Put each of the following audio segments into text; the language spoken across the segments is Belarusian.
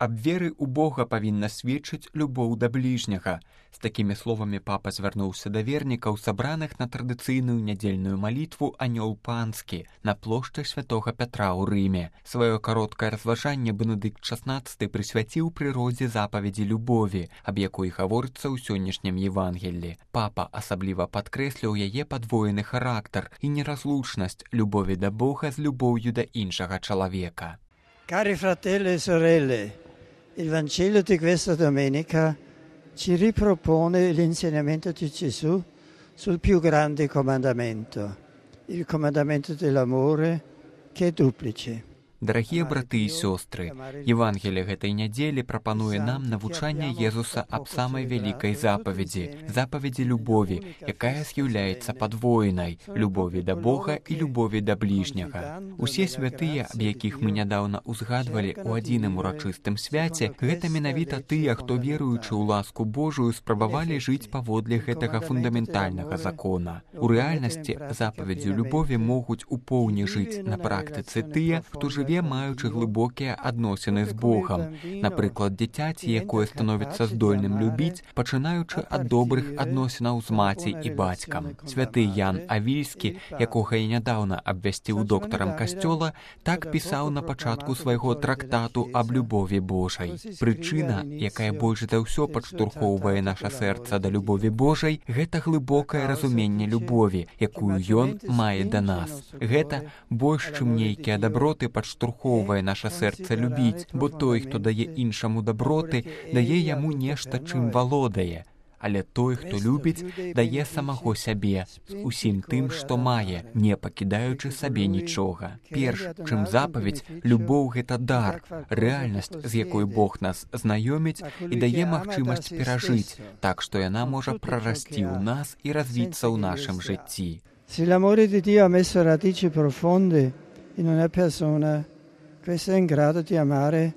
Аб веры ў Бога павінна сведчыць любоў да бліжняга. З такімі словамі папа звярнуўся да вернікаў, сабраных на традыцыйную нядзельную малітву «Анёл панскі» на плошчы святога Пятра ў Рыме. Сваё кароткае разважанне Бенедыкт XVI прысвяціў прыродзе запаведзі любові, аб якой гаворыцца ў сённяшнім Евангеллі. Папа асабліва падкрэсліў яе падвоены характар і неразлучнасць любові да Бога з любоўю да іншага чалавека. Cari fratelli e sorelle, il Vangelo di questa domenica ci ripropone l'insegnamento di Gesù sul più grande comandamento, il comandamento dell'amore che è duplice. Дарагія браты і сёстры, Евангелие гэтай нядзелі прапануе нам навучанне Езуса аб самай вялікай запаведзі, запаведзі любові, якая з'яўляецца падвоенай, любові да Бога і любові да бліжняга. Усе святыя, аб якіх мы нядаўна ўзгадвалі ў адзіным урачыстым свяце, гэта менавіта тыя, хто, веруючы ў ласку Божую, спрабавалі жыць паводле гэтага фундаментальнага закона. У рэальнасці запаведзю любові могуць у поўні жыць на практыцы тыя, хто жыве маючы глыбокія адносіны з Богам. Напрыклад, дзіцяці, якое становіцца здольным любіць, пачынаючы ад добрых адносінаў з маці і бацькам. Святы Ян Авільскі, якога я нядаўна абвясціў доктарам касцёла, так пісаў на пачатку свайго трактату аб любові Божай. Прычына, якая больш за ўсё падштурхоўвае наша сэрца да любові Божай, гэта глыбокае разуменне любові, якую ён мае да нас. Гэта больш, чым нейкія даброты падштурхоўвае наша сэрца любіць, бо той, хто дае іншаму даброты, дае яму нешта, чым валодае. Але той, хто любіць, дае самого сябе, з усім тым, што мае, не пакідаючы сабе нічога. Перш, чым запаведь, любоў – гэта дар, рэальнасць, з якой Бог нас знаёміць і дае магчымасць перажыць, так што яна можа прарасці ў нас і развіцца ў нашым жыцці. Se l'amore di Dio ha messo radici profonde in una persona, questa è in grado di amare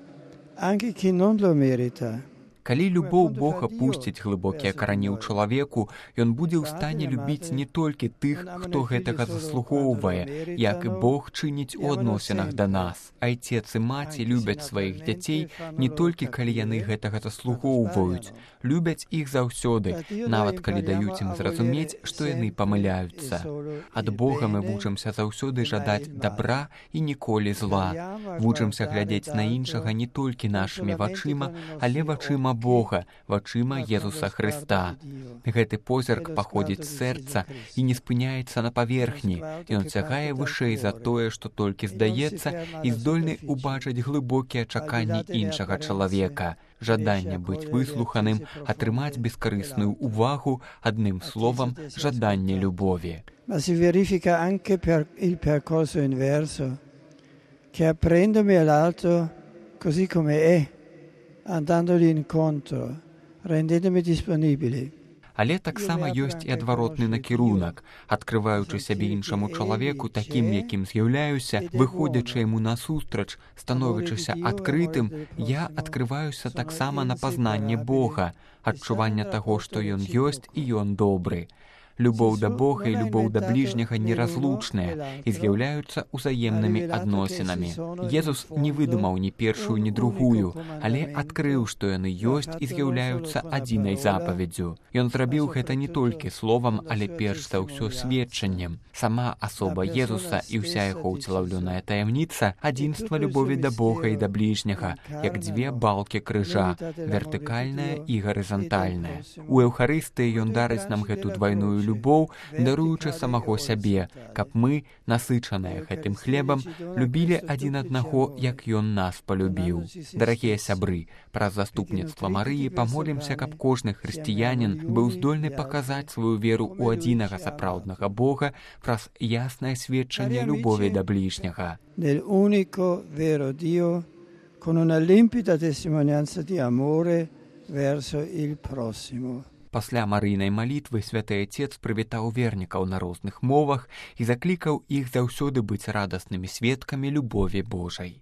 anche chi non lo merita. Калі любоў Бога пусціць глыбокія карані ў чалавеку, ён будзе ў стане любіць не толькі тых, хто гэтага заслугоўвае, як і Бог чыніць у адносінах да нас. Айцец і маці любяць сваіх дзяцей не толькі калі яны гэтага заслугоўваюць, любяць іх заўсёды, нават калі даюць ім зразумець, што яны памыляюцца. Ад Бога мы вучымся заўсёды жадаць дабра і ніколі зла. Вучымся глядзець на іншага не толькі нашымі вачыма, але вачыма Бога, вачыма Езуса Хрыста. Гэты позірк паходзіць з сэрца і не спыняецца на паверхні. Ён сягае вышэй за тое, што толькі здаецца, і здольны убачыць глыбокія чаканні іншага чалавека. Жаданне быць выслуханым, атрымаць бескарысную увагу, адным словам, жаданне любові. Ma si verifica anche per il percorso inverso, che apprendomi all'altro così come è, andandogli incontro, rendendomi disponibili. Але таксама ёсць і адваротны накірунак. Адкрываючы сябе іншаму чалавеку такім, якім з'яўляюся, выходзячы яму насустрач, становячыся адкрытым, я адкрываюся таксама на пазнанне Бога, адчуванне таго, што ён ёсць і ён добры. Любоў да Бога і любоў да бліжняга неразлучныя і з'яўляюцца ўзаемнымі адносінамі. Езус не выдумаў ні першую, ні другую, але адкрыў, што яны ёсць і з'яўляюцца адзінай запаведзю. Ён зрабіў гэта не толькі словам, але перш за ўсё сведчаннем. Сама асоба Езуса і ўся яго ўцелаўлёная таямніца – адзінства любові да Бога і да бліжняга, як дзве балкі крыжа, вертыкальная і гарызантальная. У Еўхарыстыі ён дарыць нам гэту двайную любоў, даруючы самого сябе, каб мы, насычаныя гэтым хлебам, любілі адзін аднаго, як ён нас палюбіў. Дарагія сябры, праз заступніцтва Марыі памолімся, каб кожны хрысціянін быў здольны паказаць сваю веру ў адзінага сапраўднага Бога праз яснае сведчанне любові да бліжняга. Nell'unico vero Dio, con una limpida testimonianza di amore verso il prossimo. Пасля марыйнай малітвы святы Айцец прывітаў вернікаў на розных мовах і заклікаў іх заўсёды быць радаснымі сведкамі любові Божай.